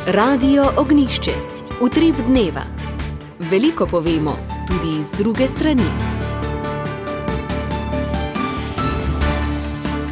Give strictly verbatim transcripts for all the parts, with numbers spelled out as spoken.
Radio Ognjišče. Utrip dneva. Veliko povemo, tudi z druge strani.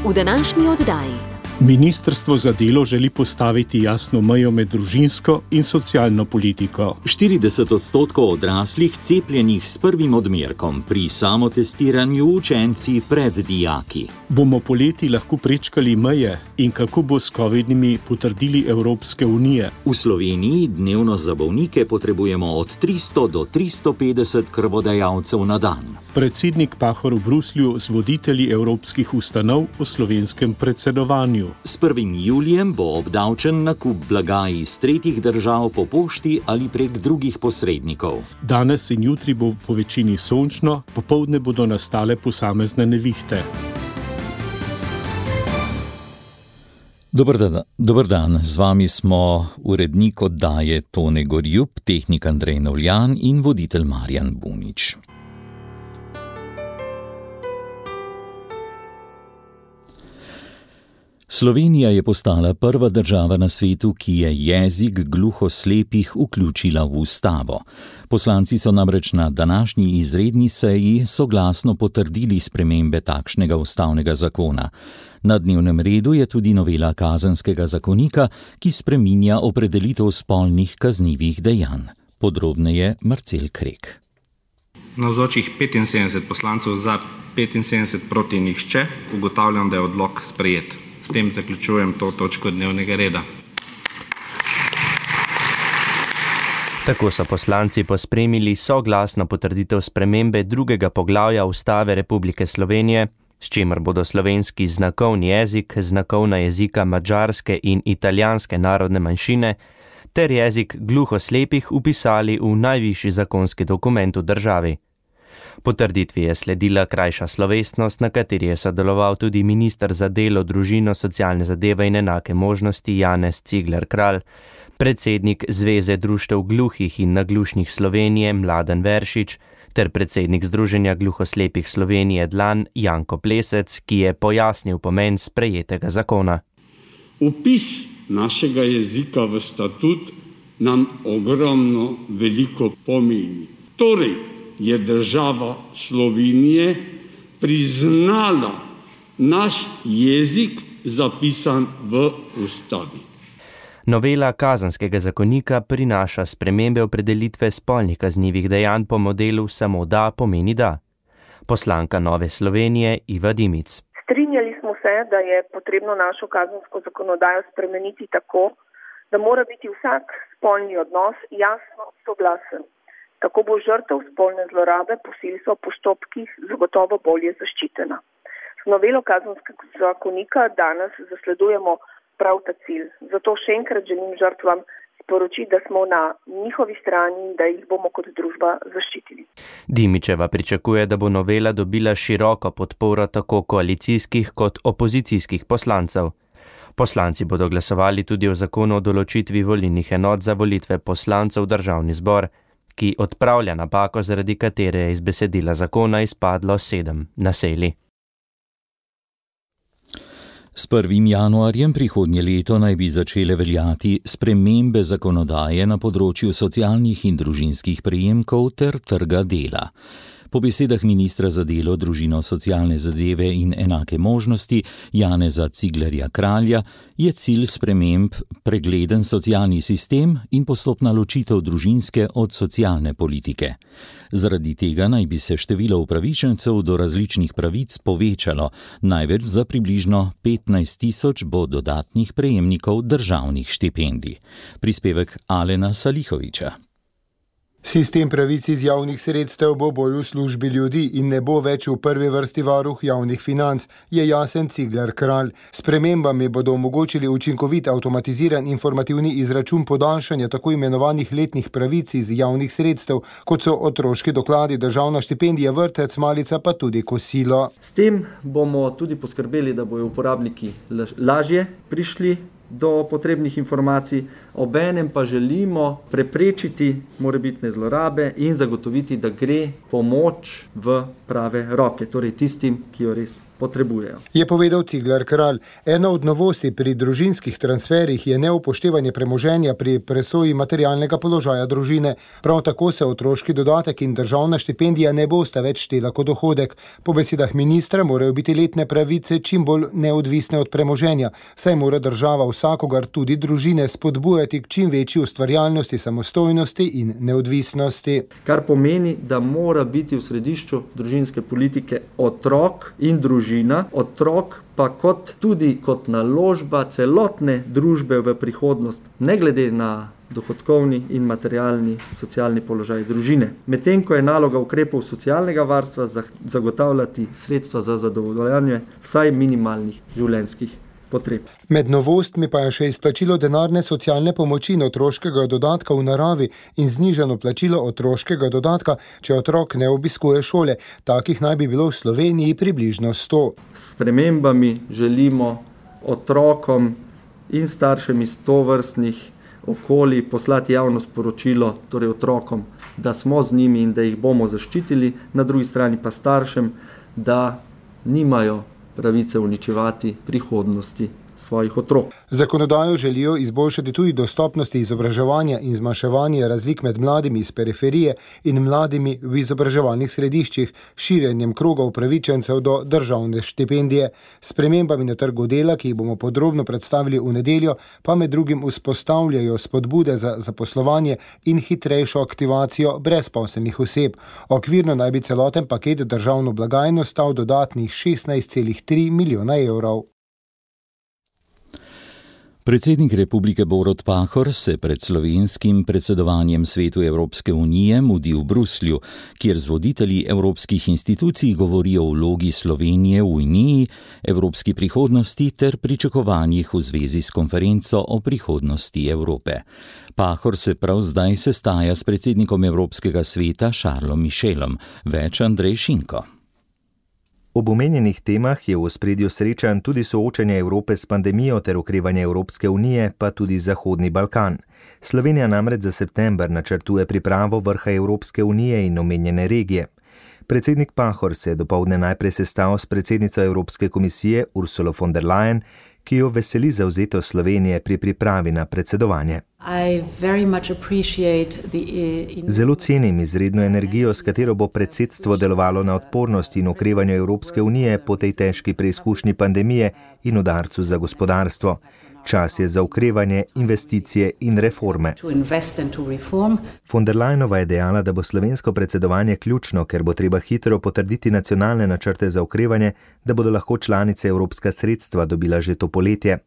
V današnji oddaji. Ministrstvo za delo želi postaviti jasno mejo med družinsko in socialno politiko. štirideset odstotkov odraslih cepljenih s prvim odmerkom, pri samotestiranju učenci pred dijaki. Bomo poleti lahko prečkali meje in kako bo s covidnimi potrdili Evropske unije? V Sloveniji dnevno za bolnike potrebujemo od tristo do tristo petdeset krvodajalcev na dan. Predsednik Pahor v Bruslju z voditelji evropskih ustanov o slovenskem predsedovanju. S prvim julijem bo obdavčen nakup blaga iz tretjih držav po pošti ali prek drugih posrednikov. Danes in jutri bo po večini sončno, popoldne bodo nastale posamezne nevihte. Dober dan, dober dan, z vami smo urednik oddaje Tone Gorjup, tehnik Andrej Novljan in voditelj Marjan Bunič. Slovenija je postala prva država na svetu, ki je jezik gluhoslepih vključila v ustavo. Poslanci so namreč na današnji izredni seji soglasno potrdili spremembe takšnega ustavnega zakona. Na dnevnem redu je tudi novela kazenskega zakonika, ki spreminja opredelitev spolnih kaznivih dejanj. Podrobneje Marcel Krek. Navzočih petinsedemdeset poslancev za, petinsedemdeset proti nihče, ugotavljam, da je odlok sprejet. S tem zaključujem to točko dnevnega reda. Tako so poslanci pospremili soglasno potrditev spremembe drugega poglavja Ustave Republike Slovenije, s čimer bodo slovenski znakovni jezik, znakovna jezika madžarske in italijanske narodne manjšine ter jezik gluhoslepih vpisali v najvišji zakonski dokument v državi. Potrditvi je sledila krajša slovesnost, na kateri je sodeloval tudi minister za delo, družino, socialne zadeve in enake možnosti Janez Cigler Kralj, predsednik Zveze društev gluhih in naglušnih Slovenije Mladen Veršič ter predsednik Združenja gluhoslepih Slovenije Dlan Janko Plesec, ki je pojasnil pomen sprejetega zakona. Vpis našega jezika v statut nam ogromno veliko pomeni. Torej, je država Slovenije priznala naš jezik zapisan v ustavi. Novela kazenskega zakonika prinaša spremembe opredelitve spolnih kaznivih dejanj po modelu samo da pomeni da. Poslanka Nove Slovenije Iva Dimic. Strinjali smo se, da je potrebno našo kazensko zakonodajo spremeniti tako, da mora biti vsak spolni odnos jasno soglasen. Tako bo žrtev spolne zlorabe posilstva v postopkih zagotovo bolje zaščitena. Z novelo kazenskega zakonika danes zasledujemo prav ta cilj. Zato še enkrat želim žrtvam sporočiti, da smo na njihovi strani in da jih bomo kot družba zaščitili. Dimičeva pričakuje, da bo novela dobila široko podporo tako koalicijskih kot opozicijskih poslancev. Poslanci bodo glasovali tudi o zakonu o določitvi volilnih enot za volitve poslancev v državni zbor, ki odpravlja napako, zaradi katere je iz besedila zakona izpadlo sedem naselij. S prvim januarjem prihodnje leto naj bi začele veljati spremembe zakonodaje na področju socialnih in družinskih prejemkov ter trga dela. Po besedah ministra za delo, družino, socialne zadeve in enake možnosti Janeza Ciglerja Kralja je cilj sprememb pregleden socialni sistem in postopna ločitev družinske od socialne politike. Zaradi tega naj bi se število upravičencev do različnih pravic povečalo, največ za približno petnajst tisoč bo dodatnih prejemnikov državnih štipendij. Prispevek Alena Salihoviča. Sistem pravic iz javnih sredstev bo bolj v službi ljudi in ne bo več v prvi vrsti varuh javnih financ, je jasen Cigler Kralj. Spremembami bodo omogočili učinkovit avtomatiziran informativni izračun podaljšanja tako imenovanih letnih pravic iz javnih sredstev, kot so otroški dokladi, državna štipendija, vrtec, malica pa tudi kosilo. S tem bomo tudi poskrbeli, da bojo uporabniki lažje prišli do potrebnih informacij, obenem pa želimo preprečiti morebitne zlorabe in zagotoviti, da gre pomoč v prave roke, torej tistim, ki jo res potrebujejo. Je povedal Cigler Kralj. Ena od novosti pri družinskih transferih je neupoštevanje premoženja pri presoji materialnega položaja družine. Prav tako se otroški dodatek in državna štipendija ne bosta več štela kot dohodek. Po besedah ministra morajo biti letne pravice čim bolj neodvisne od premoženja, saj mora država vsakogar, tudi družine, spodbujati k čim večji ustvarjalnosti, samostojnosti in neodvisnosti. Kar pomeni, da mora biti v središču družinske politike otrok in družina, otrok pa kot, tudi kot naložba celotne družbe v prihodnost, ne glede na dohodkovni in materialni socialni položaj družine. Medtem ko je naloga ukrepov socialnega varstva zagotavljati sredstva za zadovoljanje vsaj minimalnih življenjskih potreb. Med novostmi pa je še izplačilo denarne socialne pomoči in otroškega dodatka v naravi in znižano plačilo otroškega dodatka, če otrok ne obiskuje šole. Takih naj bi bilo v Sloveniji približno sto. S spremembami želimo otrokom in staršem iz tovrstnih okolij poslati javno sporočilo, torej otrokom, da smo z njimi in da jih bomo zaščitili, na drugi strani pa staršem, da nimajo pravice uničevati prihodnosti svojih otrok. Zakonodajo želijo izboljšati tudi dostopnosti izobraževanja in zmanjševanje razlik med mladimi iz periferije in mladimi v izobraževalnih središčih, širjenjem kroga upravičencev do državne štipendije. S spremembami na trgu dela, ki jih bomo podrobno predstavili v nedeljo, pa med drugim vzpostavljajo spodbude za zaposlovanje in hitrejšo aktivacijo brezposelnih oseb. Okvirno naj bi celoten paket državno blagajno stal dodatnih šestnajst celih tri milijona evrov. Predsednik Republike Borut Pahor se pred slovenskim predsedovanjem Svetu Evropske unije mudi v Bruslju, kjer z voditelji evropskih institucij govori o vlogi Slovenije v Uniji, evropski prihodnosti ter pričakovanjih v zvezi s konferenco o prihodnosti Evrope. Pahor se prav zdaj sestaja s predsednikom Evropskega sveta Charlesom Michelom. Več Andrej Šinko. Ob omenjenih temah je v ospredju srečanj tudi soočanje Evrope s pandemijo ter okrevanje Evropske unije, pa tudi Zahodni Balkan. Slovenija namreč za september načrtuje pripravo vrha Evropske unije in omenjene regije. Predsednik Pahor se je dopoldne najprej sestal s predsednico Evropske komisije Ursulo von der Leyen, ki jo veseli zavzetost Slovenije pri pripravi na predsedovanje. Zelo cenim izredno energijo, s katero bo predsedstvo delovalo na odpornosti in okrevanju Evropske unije po tej težki preizkušnji pandemije in udarcu za gospodarstvo. Čas je za okrevanje, investicije in reforme. Von der Leyenova je dejala, da bo slovensko predsedovanje ključno, ker bo treba hitro potrditi nacionalne načrte za okrevanje, da bodo lahko članice evropska sredstva dobila že to poletje.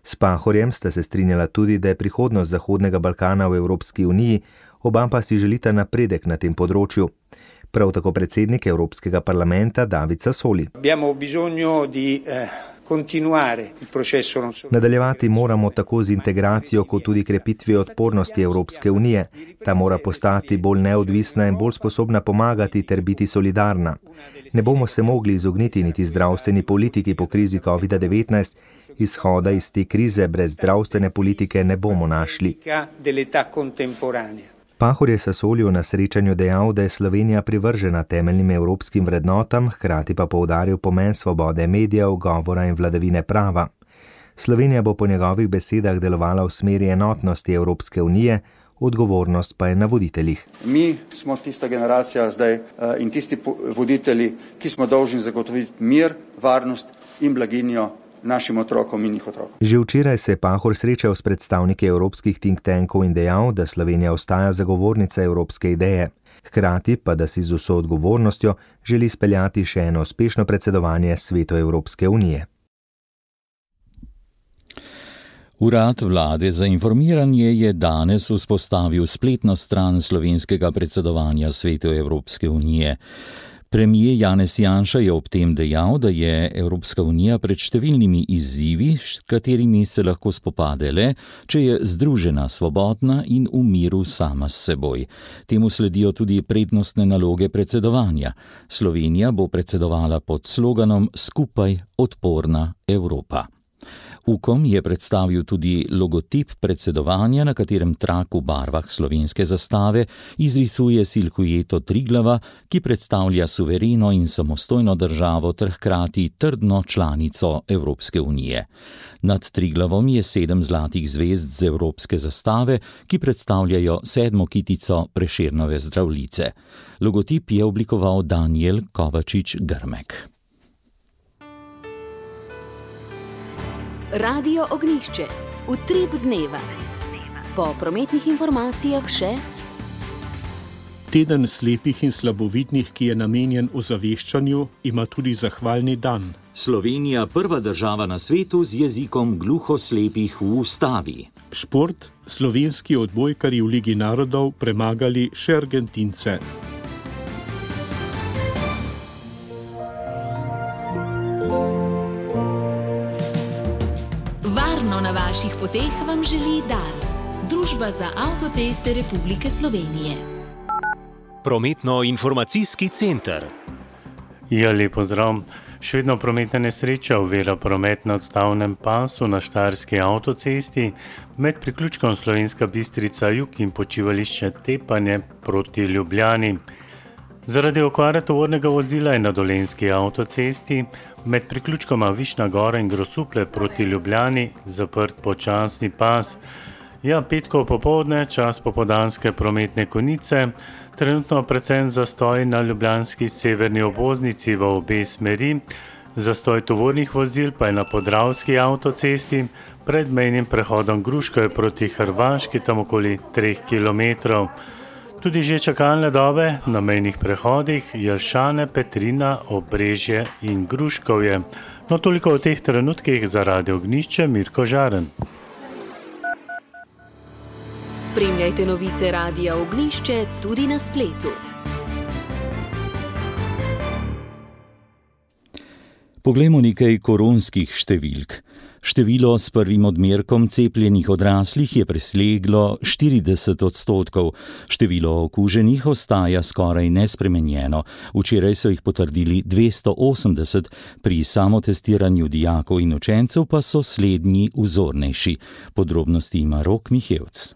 S Pahorjem sta se strinjala tudi, da je prihodnost Zahodnega Balkana v Evropski uniji, oba pa si želita napredek na tem področju. Prav tako predsednik Evropskega parlamenta David Sassoli. Nadaljevati moramo tako z integracijo kot tudi krepitvijo odpornosti Evropske unije. Ta mora postati bolj neodvisna in bolj sposobna pomagati ter biti solidarna. Ne bomo se mogli izogniti niti zdravstveni politiki po krizi covid devetnajst, izhoda iz te krize brez zdravstvene politike ne bomo našli. Pahor je Sassoliju na srečanju dejal, da je Slovenija privržena temeljnim evropskim vrednotam, hkrati pa poudaril pomen svobode medijev, govora in vladavine prava. Slovenija bo po njegovih besedah delovala v smeri enotnosti Evropske unije, odgovornost pa je na voditeljih. Mi smo tista generacija zdaj in tisti voditelji, ki smo dolžni zagotoviti mir, varnost in blaginjo našim otrokom in njih otrokom. Že včeraj se je Pahor srečal s predstavniki evropskih think tankov in dejal, da Slovenija ostaja zagovornica evropske ideje. Hkrati pa, da si z vso odgovornostjo želi speljati še eno uspešno predsedovanje Svetu Evropske unije. Urad vlade za informiranje je danes vzpostavil spletno stran slovenskega predsedovanja Svetu Evropske unije. Premier Janez Janša je ob tem dejal, da je Evropska unija pred številnimi izzivi, s katerimi se lahko spopade le, če je združena, svobodna in v miru sama s seboj. Temu sledijo tudi prednostne naloge predsedovanja. Slovenija bo predsedovala pod sloganom Skupaj odporna Evropa. Ukom je predstavil tudi logotip predsedovanja, na katerem trak v barvah slovenske zastave izrisuje silhueto Triglava, ki predstavlja suvereno in samostojno državo ter hkrati trdno članico Evropske unije. Nad Triglavom je sedem zlatih zvezd z evropske zastave, ki predstavljajo sedmo kitico Prešernove Zdravljice. Logotip je oblikoval Danijel Kovačič-Grmek. Radio Ognjišče. Utrip dneva. Po prometnih informacijah še Teden slepih in slabovidnih, ki je namenjen ozaveščanju, ima tudi zahvalni dan. Slovenija prva država na svetu z jezikom gluhoslepih v ustavi. Šport. Slovenski odbojkarji v Ligi narodov premagali še Argentince. Varno na vaših poteh vam želi Dars, Družba za avtoceste Republike Slovenije. Prometno-informacijski center. Ja, lep pozdrav. Še vedno prometna nesreča ovira promet na odstavnem pasu na Štajerski avtocesti med priključkom Slovenska Bistrica jug in počivališče Tepanje proti Ljubljani. Zaradi okvare tovornega vozila je na Dolenjski avtocesti med priključkoma Višna Gora in Grosuplje proti Ljubljani zaprt počasni pas. Ja, petkov popoldne, čas popoldanske prometne konice, trenutno predvsem zastoj na ljubljanski severni obvoznici v obe smeri, zastoj tovornih vozil pa je na Podravski avtocesti pred mejnim prehodom Gruškovje proti Hrvaški, tam okoli treh kilometrov. Tudi že čakalne dobe na mejnih prehodih Jelšane, Petrina, Obrežje in Gruškovje. No, toliko o teh trenutkih za Radio Ognjišče, Mirko Žaren. Spremljajte novice Radia Ognjišče tudi na spletu. Poglejmo nekaj koronskih številk. Število s prvim odmerkom cepljenih odraslih je preseglo štirideset odstotkov. Število okuženih ostaja skoraj nespremenjeno. Včeraj so jih potrdili dvesto osemdeset, pri samotestiranju dijakov in učencev pa so slednji vzornejši. Podrobnosti ima Rok Mihevc.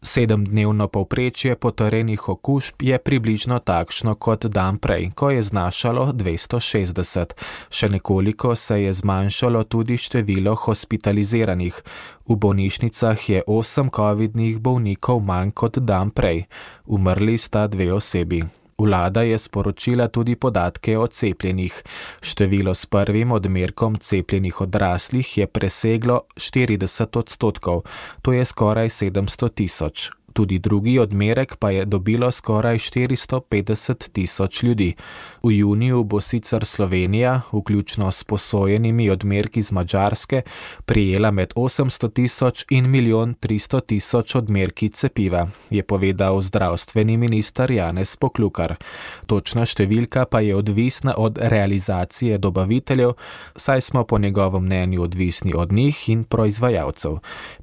Sedemdnevno povprečje potrjenih okužb je približno takšno kot dan prej, ko je znašalo dvesto šestdeset. Še nekoliko se je zmanjšalo tudi število hospitaliziranih. V bolnišnicah je osem covidnih bolnikov manj kot dan prej. Umrli sta dve osebi. Vlada je sporočila tudi podatke o cepljenih. Število s prvim odmerkom cepljenih odraslih je preseglo štirideset odstotkov, to je skoraj sedemsto tisoč. Tudi drugi odmerek pa je dobilo skoraj štiristo petdeset tisoč ljudi. V juniju bo sicer Slovenija, vključno s posojenimi odmerki z Madžarske, prijela med osemsto tisoč in milijon tristo tisoč odmerki cepiva, je povedal zdravstveni minister Janez Poklukar. Točna številka pa je odvisna od realizacije dobaviteljev, saj smo po njegovem mnenju odvisni od njih in proizvajalcev.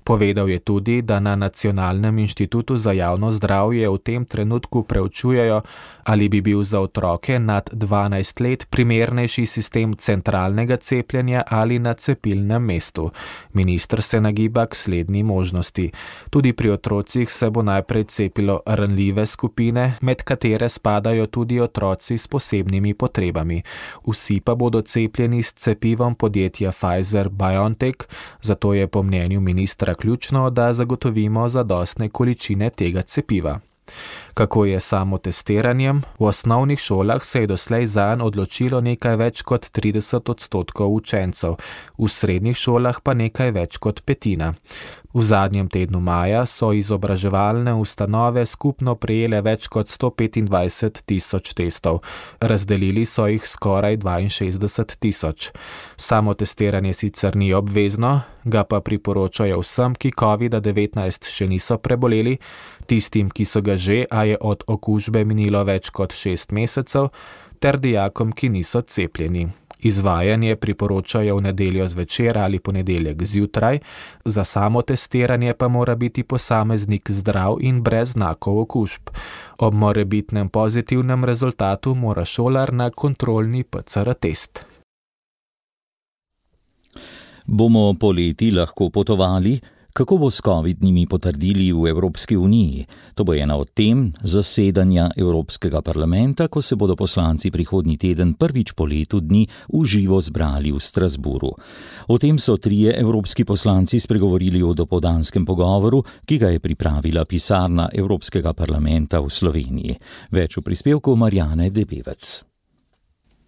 Povedal je tudi, da na Nacionalnem inštitutu za javno zdravje v tem trenutku preučujejo, ali bi bil za otroke nad dvanajst let primernejši sistem centralnega cepljenja ali na cepilnem mestu. Minister se nagiba k slednji možnosti. Tudi pri otrocih se bo najprej cepilo ranljive skupine, med katere spadajo tudi otroci s posebnimi potrebami. Vsi pa bodo cepljeni s cepivom podjetja Pfizer-BioNTech, zato je po mnenju ministra ključno, da zagotovimo zadostne količine tega cepiva. Kako je samo testiranjem? V osnovnih šolah se je doslej zanj odločilo nekaj več kot trideset odstotkov učencev, v srednjih šolah pa nekaj več kot petina. V zadnjem tednu maja so izobraževalne ustanove skupno prejele več kot sto petindvajset tisoč testov. Razdelili so jih skoraj dvainšestdeset tisoč. Samo testiranje sicer ni obvezno, ga pa priporočajo vsem, ki covida devetnajst še niso preboleli, tistim, ki so ga že, a je od okužbe minilo več kot šest mesecev, ter dijakom, ki niso cepljeni. Izvajanje priporočajo v nedeljo zvečer ali ponedeljek zjutraj, za samo testiranje pa mora biti posameznik zdrav in brez znakov okužb. Ob morebitnem pozitivnem rezultatu mora šolar na kontrolni P C R test. Bomo poleti lahko potovali? Kako bo s covidnimi potrdili v Evropski uniji? To bo ena od tem zasedanja Evropskega parlamenta, ko se bodo poslanci prihodnji teden prvič po letu dni v živo zbrali v Strasburu. O tem so trije evropski poslanci spregovorili v dopoldanskem pogovoru, ki ga je pripravila pisarna Evropskega parlamenta v Sloveniji. Več v prispevku Marjane Debevec.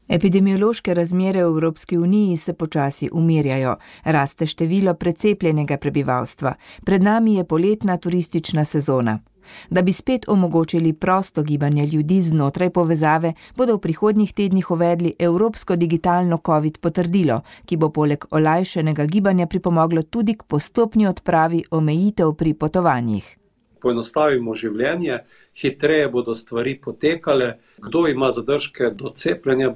Epidemiološke razmere v Evropski uniji se počasi umirjajo, raste število precepljenega prebivalstva. Pred nami je poletna turistična sezona. Da bi spet omogočili prosto gibanje ljudi znotraj povezave, bodo v prihodnjih tednih uvedli Evropsko digitalno COVID potrdilo, ki bo poleg olajšanega gibanja pripomoglo tudi k postopni odpravi omejitev pri potovanjih. Poenostavimo življenje, hitreje bodo stvari potekale, kdo ima zadržke do cepljenja,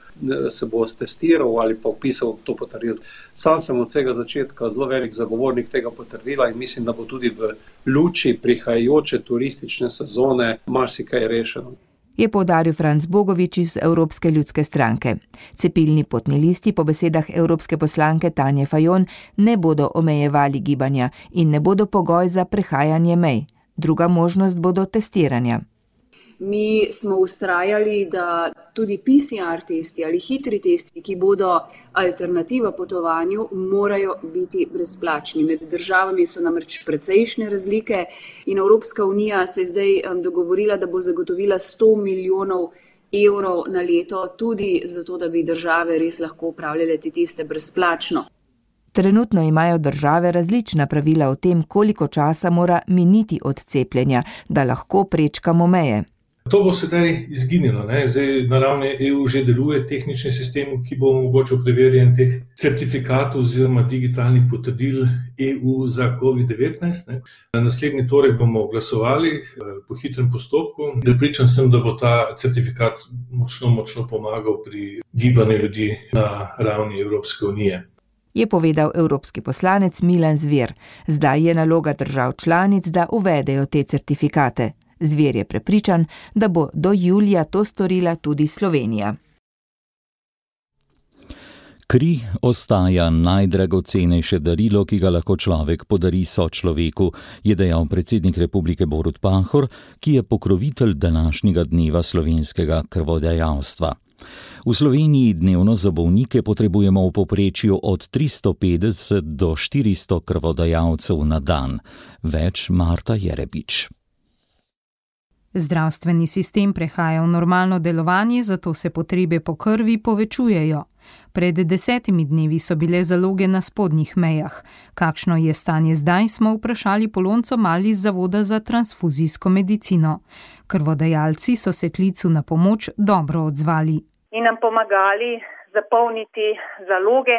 se bo testiral ali pa vpisal to potrdilo. Sam sem od vsega začetka zelo velik zagovornik tega potrdila in mislim, da bo tudi v luči prihajajoče turistične sezone marsikaj rešeno. Je poudaril Franc Bogovič iz Evropske ljudske stranke. Cepilni potni listi po besedah evropske poslanke Tanje Fajon ne bodo omejevali gibanja in ne bodo pogoj za prehajanje mej. Druga možnost bodo testiranja. Mi smo vztrajali, da tudi P C R testi ali hitri testi, ki bodo alternativa potovanju, morajo biti brezplačni. Med državami so namreč precejšnje razlike in Evropska unija se je zdaj dogovorila, da bo zagotovila sto milijonov evrov na leto, tudi zato, da bi države res lahko upravljale te teste brezplačno. Trenutno imajo države različna pravila o tem, koliko časa mora miniti od cepljenja, da lahko prečkamo meje. To bo sedaj izginilo. Ne? Zdaj na ravni E U že deluje tehnični sistem, ki bo omogočil preverjanje teh certifikatov oziroma digitalnih potrdil E U za covid devetnajst. Ne? Naslednji torek bomo glasovali po hitrem postopku. Prepričan sem, da bo ta certifikat močno, močno pomagal pri gibanju ljudi na ravni Evropske unije. Je povedal evropski poslanec Milan Zver. Zdaj je naloga držav članic, da uvedejo te certifikate. Zver je prepričan, da bo do julija to storila tudi Slovenija. Kri ostaja najdragocenejše darilo, ki ga lahko človek podari sočloveku, je dejal predsednik Republike Borut Pahor, ki je pokrovitelj današnjega dneva slovenskega krvodajalstva. V Sloveniji dnevno za bolnike potrebujemo v povprečju od tristo petdeset do štiristo krvodajalcev na dan. Več Marta Jerebič. Zdravstveni sistem prehaja v normalno delovanje, zato se potrebe po krvi povečujejo. Pred desetimi dnevi so bile zaloge na spodnjih mejah. Kakšno je stanje zdaj, smo vprašali Polonco Mal iz Zavoda za transfuzijsko medicino. Krvodajalci so se klicu na pomoč dobro odzvali. In nam pomagali zapolniti zaloge,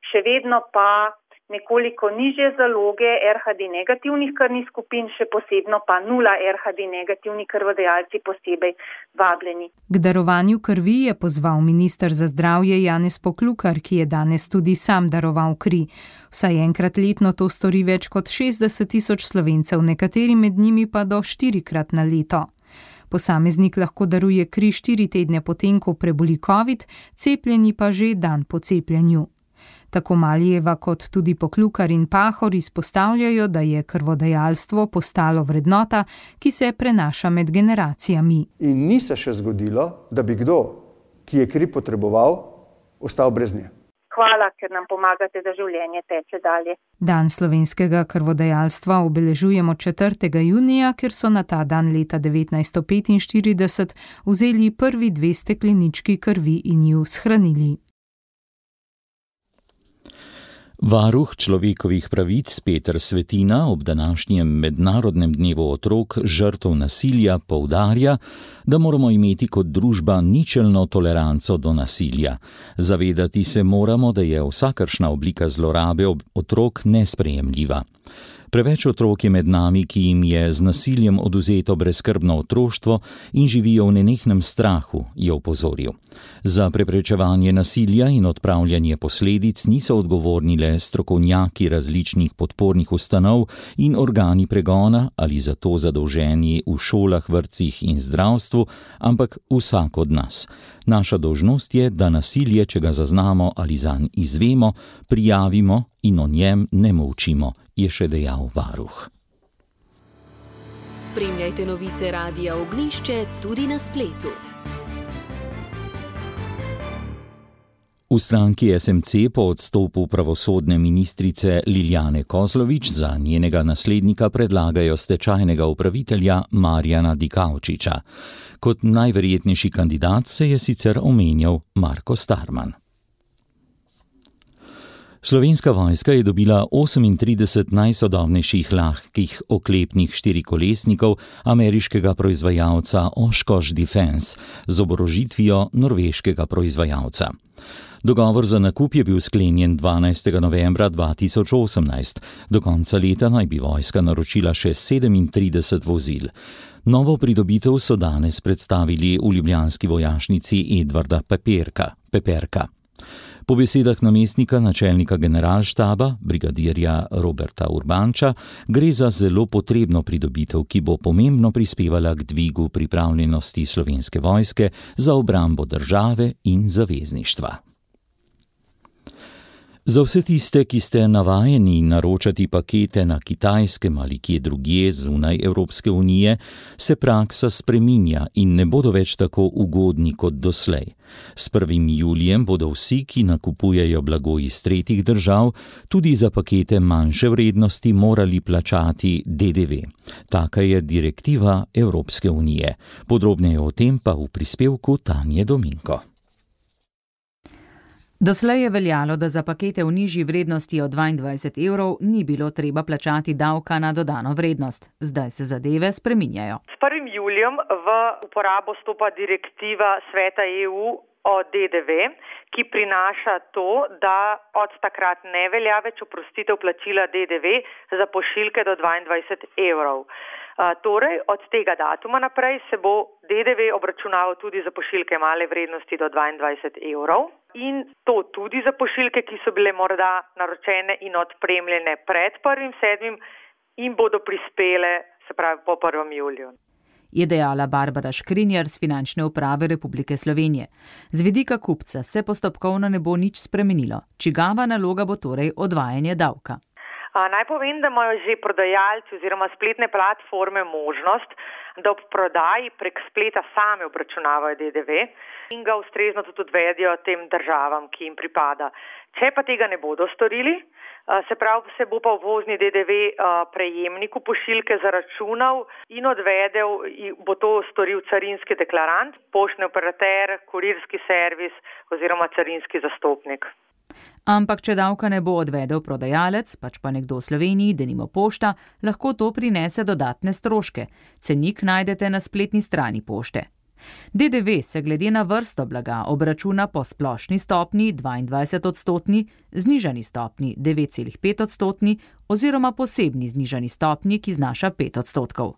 še vedno pa nekoliko nižje zaloge R H D negativnih krvnih skupin, še posebno pa nula R H D negativni krvodajalci posebej vabljeni. K darovanju krvi je pozval minister za zdravje Janez Poklukar, ki je danes tudi sam daroval kri. Vsaj enkrat letno to stori več kot šestdeset tisoč Slovencev, nekateri med njimi pa do štirikrat na leto. Posameznik lahko daruje kri štiri tedne potem, ko preboli covid, cepljeni pa že dan po cepljenju. Tako Malijeva kot tudi Poklukar in Pahor izpostavljajo, da je krvodajalstvo postalo vrednota, ki se prenaša med generacijami. In ni se še zgodilo, da bi kdo, ki je kri potreboval, ostal brez nje. Hvala, ker nam pomagate, da življenje teče dalje. Dan slovenskega krvodajalstva obeležujemo četrtega junija, ker so na ta dan leta devetnajststo petinštirideset vzeli prvi dve steklenički krvi in ju shranili. Varuh človekovih pravic Peter Svetina ob današnjem mednarodnem dnevu otrok žrtev nasilja poudarja, da moramo imeti kot družba ničelno toleranco do nasilja. Zavedati se moramo, da je vsakršna oblika zlorabe otrok nesprejemljiva. Preveč otrok je med nami, ki jim je z nasiljem oduzeto brezskrbno otroštvo in živijo v nenehnem strahu, je opozoril. Za preprečevanje nasilja in odpravljanje posledic niso odgovorni le strokovnjaki različnih podpornih ustanov in organi pregona ali za to zadolženi v šolah, vrtcih in zdravstvu, ampak vsak od nas. Naša dolžnost je, da nasilje, če ga zaznamo ali zanj izvemo, prijavimo in o njem ne molčimo, je še dejal varuh. Spremljajte novice Radia Ognjišče tudi na spletu. V stranki S M C po odstopu pravosodne ministrice Lilijane Kozlovič za njenega naslednika predlagajo stečajnega upravitelja Marjana Dikaučiča. Kot najverjetnejši kandidat se je sicer omenjal Marko Starman. Slovenska vojska je dobila osemintrideset najsodobnejših lahkih oklepnih štirikolesnikov ameriškega proizvajalca Oshkosh Defense z oborožitvijo norveškega proizvajalca. Dogovor za nakup je bil sklenjen dvanajstega novembra dva tisoč osemnajst. Do konca leta naj bi vojska naročila še sedemintrideset vozil. Novo pridobitev so danes predstavili v ljubljanski vojašnici Edvarda Peperka. Peperka. Po besedah namestnika načelnika generalštaba, brigadirja Roberta Urbanča, gre za zelo potrebno pridobitev, ki bo pomembno prispevala k dvigu pripravljenosti Slovenske vojske za obrambo države in zavezništva. Za vse tiste, ki ste navajeni naročati pakete na Kitajskem ali kje drugje zunaj Evropske unije, se praksa spreminja in ne bodo več tako ugodni kot doslej. S prvim julijem bodo vsi, ki nakupujejo blago iz tretjih držav, tudi za pakete manjše vrednosti morali plačati D D V. Taka je direktiva Evropske unije. Podrobneje o tem pa v prispevku Tanje Dominko. Doslej je veljalo, da za pakete v nižji vrednosti od dvaindvajset evrov ni bilo treba plačati davka na dodano vrednost. Zdaj se zadeve spreminjajo. S prvim julijem v uporabo stopa direktiva Sveta E U o D D V, ki prinaša to, da od takrat ne velja več oprostitev plačila D D V za pošiljke do dvaindvajset evrov. Uh, torej, od tega datuma naprej se bo D D V obračunaval tudi za pošiljke male vrednosti do dvaindvajset evrov in to tudi za pošiljke, ki so bile morda naročene in odpremljene pred prvim sedmim in bodo prispele, se pravi, po prvem juliju. Je dejala Barbara Škrinjar z Finančne uprave Republike Slovenije. Z vidika kupca se postopkovno ne bo nič spremenilo. Čigava naloga bo torej odvajanje davka. A, naj povem, da imajo že prodajalci oziroma spletne platforme možnost, da ob prodaji prek spleta sami obračunavajo D D V in ga ustrezno tudi odvedijo tem državam, ki jim pripada. Če pa tega ne bodo storili, se pravi, se bo pa uvozni D D V prejemniku pošiljke zaračunal in odvedel, bo to storil carinski deklarant, poštni operater, kurirski servis oziroma carinski zastopnik. Ampak, če davka ne bo odvedel prodajalec, pač pa nekdo v Sloveniji, denimo pošta, lahko to prinese dodatne stroške. Cenik najdete na spletni strani pošte. D D V se glede na vrsto blaga obračuna po splošni stopni dvaindvajset odstotni, znižani stopni devet celih pet odstotni oziroma posebni znižani stopni, ki znaša pet odstotkov.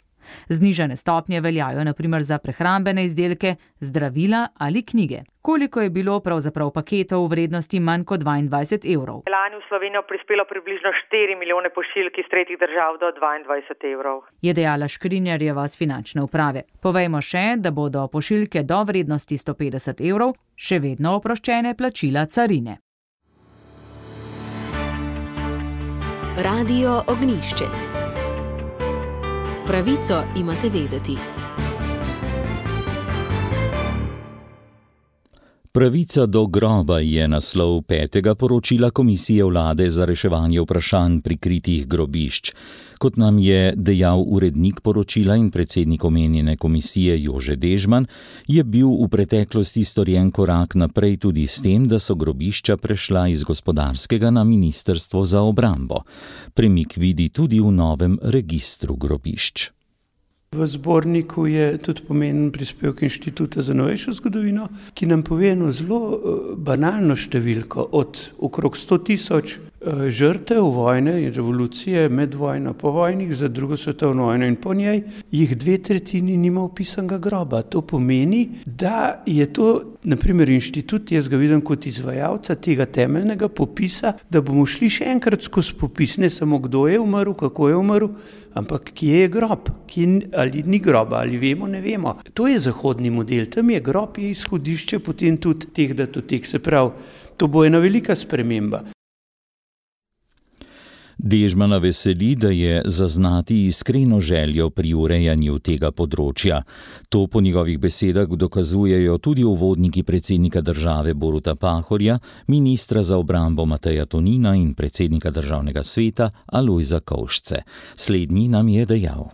Znižane stopnje veljajo na primer za prehrambene izdelke, zdravila ali knjige. Koliko je bilo pravzaprav paketov v vrednosti manj kot dvaindvajset evrov? Lani v Slovenijo prispelo približno štiri milijone pošiljk iz tretjih držav do dvaindvajset evrov. Je dejala Škrinjarjeva z Finančne uprave. Povejmo še, da bodo pošiljke do vrednosti sto petdeset evrov še vedno oproščene plačila carine. Radio Ognjišče. Pravico imate vedeti. Pravica do groba je naslov petega poročila Komisije vlade za reševanje vprašanj prikritih grobišč. Kot nam je dejal urednik poročila in predsednik omenjene komisije Jože Dežman, je bil v preteklosti storjen korak naprej tudi s tem, da so grobišča prešla iz gospodarskega na Ministrstvo za obrambo. Premik vidi tudi v novem registru grobišč. V zborniku je tudi pomemben prispevek Inštituta za novejšo zgodovino, ki nam pove eno zelo banalno številko od okrog sto tisoč žrtev vojne in revolucije med vojno, po vojnih za drugo svetovno vojno in po njej, jih dve tretjini nima opisanega groba. To pomeni, da je to, naprimer, inštitut, jaz ga vidim kot izvajalca tega temeljnega popisa, da bomo šli še enkrat skozi popis, ne samo kdo je umrl, kako je umrl, ampak kje je grob, kje, ali ni groba, ali vemo, ne vemo. To je zahodni model, tam je grob, je izhodišče potem tudi teh datotek, se pravi, to bo ena velika sprememba. Dežmana veseli, da je zaznati iskreno željo pri urejanju tega področja. To po njegovih besedah dokazujejo tudi uvodniki predsednika države Boruta Pahorja, ministra za obrambo Mateja Tonina in predsednika državnega sveta Alojza Kovšce. Slednji nam je dejal.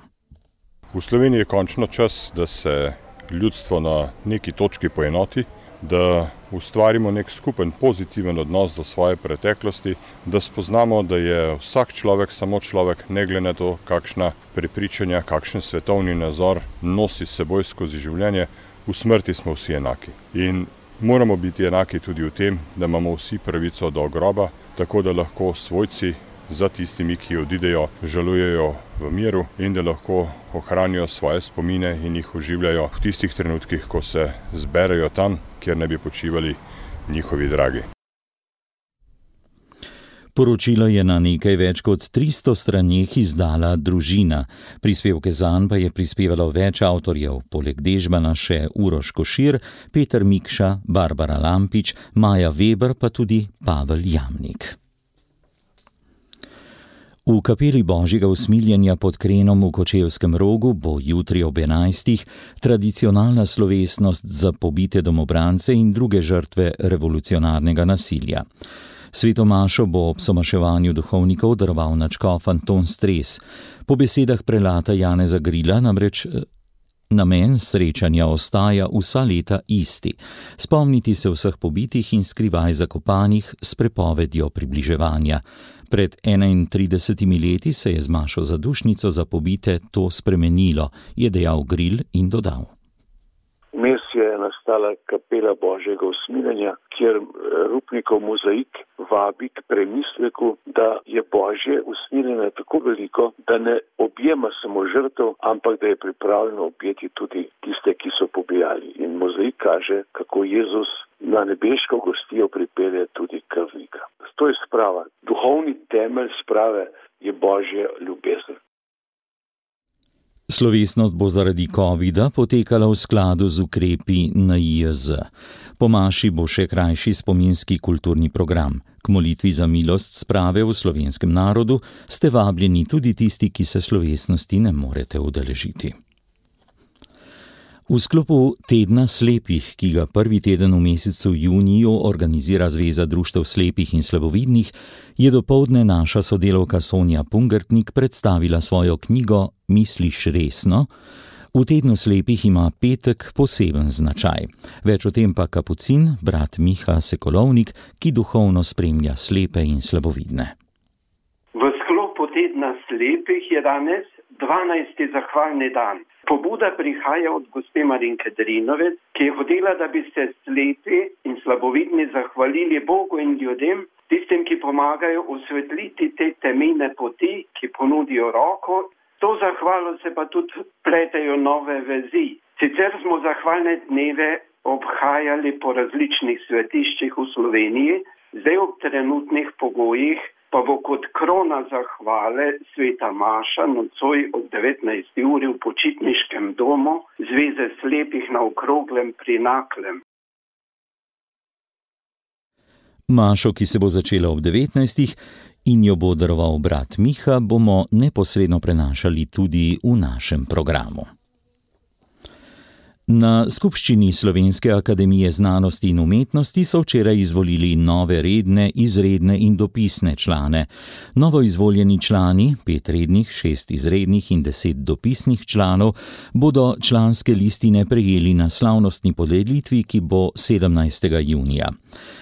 V Sloveniji je končno čas, da se ljudstvo na neki točki poenoti, da ustvarimo nek skupen pozitiven odnos do svoje preteklosti, da spoznamo, da je vsak človek samo človek, ne glede na to, kakšna prepričanja, kakšen svetovni nazor nosi s seboj skozi življenje, v smrti smo vsi enaki. In moramo biti enaki tudi v tem, da imamo vsi pravico do groba, tako da lahko svojci za tistimi, ki odidejo, žalujejo v miru in da lahko ohranijo svoje spomine in jih oživljajo v tistih trenutkih, ko se zberejo tam, kjer ne bi počivali njihovi dragi. Poročilo je na nekaj več kot tristo straneh izdala Družina. Prispevke zanj pa je prispevalo več avtorjev, poleg Dežmana še Uroš Košir, Peter Mikša, Barbara Lampič, Maja Weber pa tudi Pavel Jamnik. V kapeli Božjega usmiljenja pod Krenom v Kočevskem Rogu bo jutri ob enajstih tradicionalna slovesnost za pobite domobrance in druge žrtve revolucionarnega nasilja. Sveto mašo bo ob somaševanju duhovnikov daroval nadškof Anton Stres. Po besedah prelata Janeza Grila namreč namen srečanja ostaja vsa leta isti. Spomniti se vseh pobitih in skrivaj zakopanih s prepovedjo približevanja. Pred enaintridesetimi leti se je z mašo za dušnico za pobite to spremenilo, je dejal Gril in dodal. Vmes je nastala kapela Božjega usmiljenja, kjer Rupnikov mozaik vabi k premisleku, da je Božje usmiljenje tako veliko, da ne objema samo žrtev, ampak da je pripravljeno objeti tudi tiste, ki so pobijali. In mozaik kaže, kako Jezus na nebeško gostijo pripelje tudi krvnika. To je sprava. Duhovni temelj sprave je Božja ljubezen. Slovesnost bo zaradi covida potekala v skladu z ukrepi N I J Z. Po maši bo še krajši spominski kulturni program. K molitvi za milost sprave v slovenskem narodu ste vabljeni tudi tisti, ki se slovesnosti ne morete udeležiti. V sklopu Tedna slepih, ki ga prvi teden v mesecu juniju organizira Zveza društev slepih in slabovidnih, je dopoldne naša sodelavka Sonja Pungertnik predstavila svojo knjigo Misliš resno? V Tednu slepih ima petek poseben značaj. Več o tem pa kapucin, brat Miha Sekulovnik, ki duhovno spremlja slepe in slabovidne. V sklopu Tedna slepih je danes dvanajsti zahvalni dan. Pobuda prihaja od gospe Marinke Drinovec, ki je hotela, da bi se slepi in slabovidni zahvalili Bogu in ljudem, tistim, ki pomagajo osvetliti te temene poti, ki ponudijo roko. To zahvalo se pa tudi pletejo nove vezi. Sicer smo zahvalne dneve obhajali po različnih svetiščih v Sloveniji, zdaj ob trenutnih pogojih pa bo kot krona zahvale sveta maša nocoj ob devetnajsti uri v počitniškem domu Zveze slepih na Okroglem pri Naklem. Mašo, ki se bo začela ob devetnajstih in jo bo daroval brat Miha, bomo neposredno prenašali tudi v našem programu. Na skupščini Slovenske akademije znanosti in umetnosti so včeraj izvolili nove redne, izredne in dopisne člane. Novo izvoljeni člani, pet rednih, šest izrednih in deset dopisnih članov, bodo članske listine prejeli na slavnostni podelitvi, ki bo sedemnajstega junija.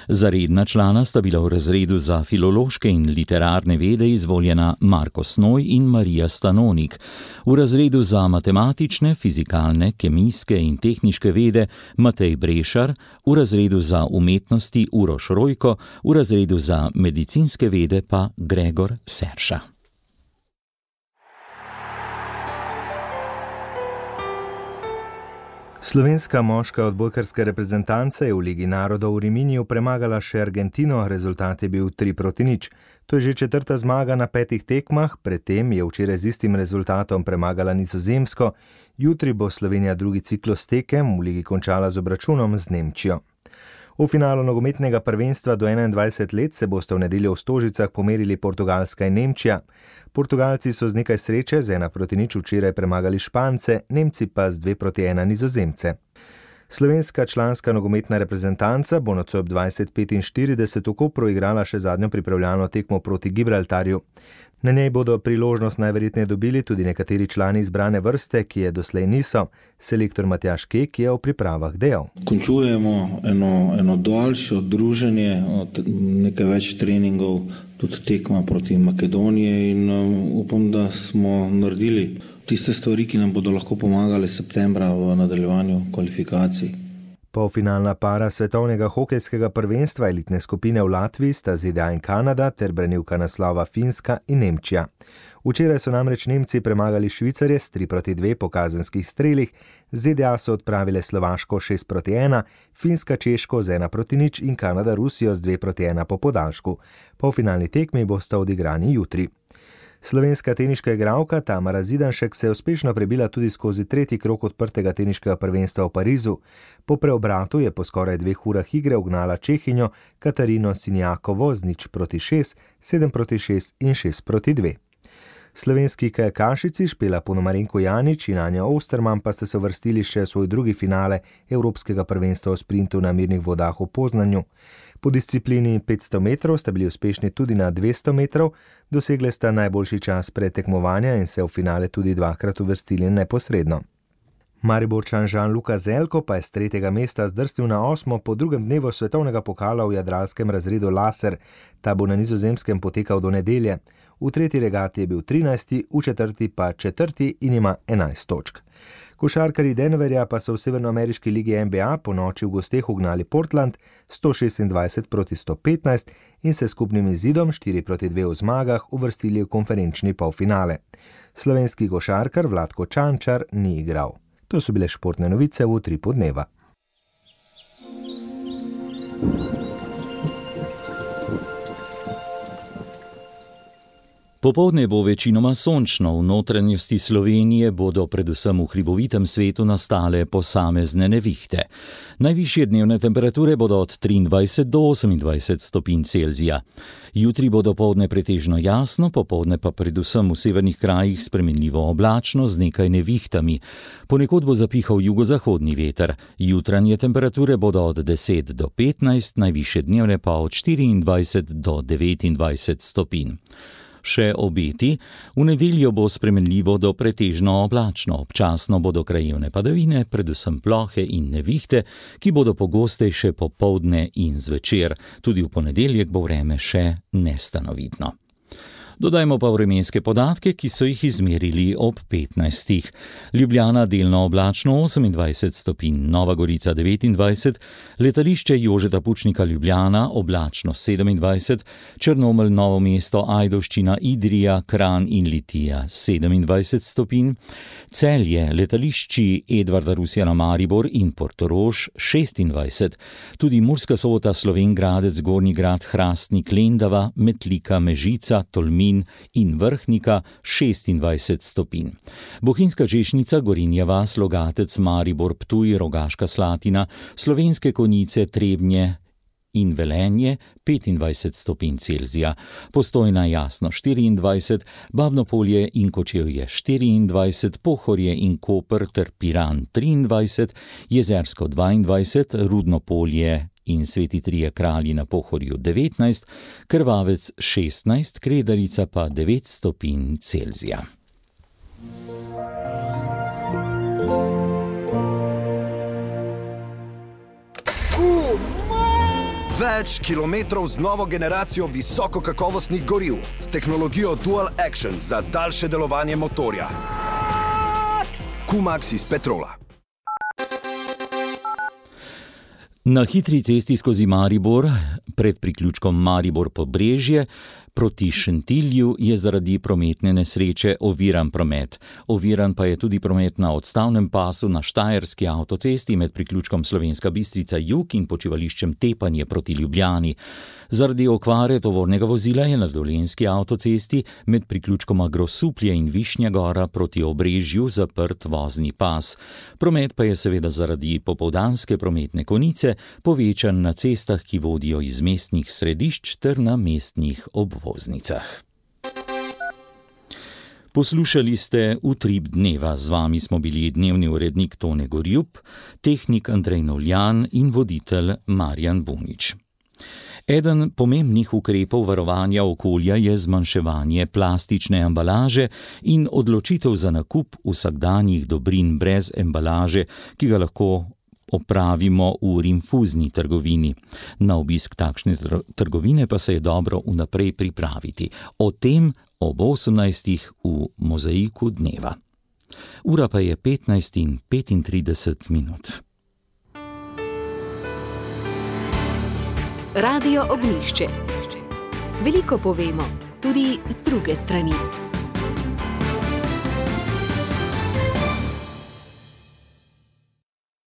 Za redna člana sta bila v razredu za filološke in literarne vede izvoljena Marko Snoj in Marija Stanonik, v razredu za matematične, fizikalne, kemijske in in tehniške vede Matej Brešar, v razredu za umetnosti Uroš Rojko, v razredu za medicinske vede pa Gregor Serša. Slovenska moška odbojkarska reprezentanca je v Ligi narodov v Riminiju premagala še Argentino, rezultat je bil tri proti nič. To je že četrta zmaga na petih tekmah, predtem je včeraj z istim rezultatom premagala Nizozemsko, jutri bo Slovenija drugi ciklus tekem v Ligi končala z obračunom z Nemčijo. V finalu nogometnega prvenstva do enaindvajset let se bosta v nedeljo v Stožicah pomerili Portugalska in Nemčija. Portugalci so z nekaj sreče z ena proti nič včeraj premagali Špance, Nemci pa z dve proti ena Nizozemce. Slovenska članska nogometna reprezentanca bo nocoj ob dvajset petinštirideset v Kopru igrala še zadnjo pripravljalno tekmo proti Gibraltarju. Na njej bodo priložnost najverjetneje dobili tudi nekateri člani izbrane vrste, ki je doslej niso. Selektor Matjaž Kek je o pripravah dejal. Končujemo eno, eno daljše druženje, nekaj več treningov, tudi tekma proti Makedoniji in upam, da smo naredili tiste stvari, ki nam bodo lahko pomagale septembra v nadaljevanju kvalifikacij. Polfinalna para svetovnega hokejskega prvenstva elitne skupine v Latviji sta Z D A in Kanada ter branilka naslova Finska in Nemčija. Včeraj so namreč Nemci premagali Švicarje s tri proti dve po kazenskih strelih, Z D A so odpravile Slovaško šest proti ena, Finska Češko z ena proti nič in Kanada Rusijo z dve proti ena po podaljšku. Polfinalni tekmi bosta odigrani jutri. Slovenska teniška igralka Tamara Zidanšek se je uspešno prebila tudi skozi tretji krog odprtega teniškega prvenstva v Parizu. Po preobratu je po skoraj dveh urah igre ugnala Čehinjo Katarino Sinjakovo z nič proti šest, sedem proti šest in šest proti dve. Slovenski kajakašici Špela Ponomarenko Janič in Anja Osterman pa ste se uvrstili še v svoj drugi finale Evropskega prvenstva v sprintu na mirnih vodah v Poznanju. Po disciplini petsto metrov sta bili uspešni tudi na dvesto metrov, dosegle sta najboljši čas pretekmovanja in se v finale tudi dvakrat uvrstili neposredno. Mariborčan Jean-Luca Zelko pa je z tretjega mesta zdrsnil na osmo po drugem dnevu svetovnega pokala v jadralskem razredu laser. Ta bo na Nizozemskem potekal do nedelje. V tretji regati je bil trinajsti, v četrti pa četrti in ima enajst točk. Košarkarji Denverja pa so v severnoameriški ligi N B A po noči v gosteh ugnali Portland sto šestindvajset proti sto petnajst in se skupnim izidom štiri proti dve v zmagah uvrstili v konferenčni polfinale. Slovenski košarkar Vlatko Čančar ni igral. To so bile športne novice v utripu dneva. Popoldne bo večinoma sončno, v notranjosti Slovenije bodo predvsem v hribovitem svetu nastale posamezne nevihte. Najvišje dnevne temperature bodo od triindvajset do osemindvajset stopinj Celzija. Jutri bo dopoldne pretežno jasno, popoldne pa predvsem v severnih krajih spremenljivo oblačno z nekaj nevihtami. Ponekod bo zapihal jugozahodni veter. Jutranje temperature bodo od deset do petnajst, najvišje dnevne pa od štiriindvajset do devetindvajset stopinj. Še obeti, v nedeljo bo spremenljivo do pretežno oblačno, občasno bodo krajevne padavine, predvsem plohe in nevihte, ki bodo pogostejše popoldne in zvečer. Tudi v ponedeljek bo vreme še nestanovitno. Dodajmo pa vremenske podatke, ki so jih izmerili ob petnajstih. Ljubljana delno oblačno osemindvajset stopinj, Nova Gorica devetindvajset, letališče Jožeta Pučnika Ljubljana oblačno sedemindvajset, Črnomelj, Novo mesto, Ajdovščina, Idrija, Kranj in Litija sedemindvajset stopinj, Celje, letališči Edvarda Rusjana Maribor in Portorož šestindvajset, tudi Murska Sobota, Slovenj Gradec, Gornji Grad, Hrastnik, Lendava, Metlika, Mežica, Tolmin in Vrhnika šestindvajset stopinj. Bohinjska Češnica, Gorenja vas, Logatec, Maribor, Ptuj, Rogaška Slatina, Slovenske Konjice, Trebnje in Velenje petindvajset stopinj Celzija, Postojna jasno štiriindvajset, Babno Polje in Kočevje štiriindvajset, Pohorje in Koper ter Piran triindvajset, Jezersko dvaindvajset, Rudno Polje in Sveti Trije Kralji na Pohorju devetnajst, Krvavec šestnajst, Kredarica pa devet stopinj Celzija. Več kilometrov z novo generacijo visokokakovostnih goriv s tehnologijo Dual Action za daljše delovanje motorja. Q-Max iz Petrola. Na hitri cesti skozi Maribor, pred priključkom Maribor-Pobrežje, proti Šentilju je zaradi prometne nesreče oviran promet. Oviran pa je tudi promet na odstavnem pasu na Štajerski avtocesti med priključkom Slovenska Bistrica jug in počivališčem Tepanje proti Ljubljani. Zaradi okvare tovornega vozila je na Dolenjski avtocesti med priključkoma Grosuplje in Višnja Gora proti Obrežju zaprt vozni pas. Promet pa je seveda zaradi popoldanske prometne konice povečan na cestah, ki vodijo iz mestnih središč ter na mestnih obvoznicah. Poslušali ste Utrip dneva, z vami smo bili dnevni urednik Tone Gorjup, tehnik Andrej Novljan in voditelj Marjan Bunič. Eden pomembnih ukrepov varovanja okolja je zmanjševanje plastične embalaže in odločitev za nakup vsakdanjih dobrin brez embalaže, ki ga lahko opravimo v rinfuzni trgovini. Na obisk takšne trgovine pa se je dobro vnaprej pripraviti. O tem ob osemnajstih v Mozaiku dneva. Ura pa je petnajst in petintrideset minut. Radio Ognjišče. Veliko povemo, tudi z druge strani.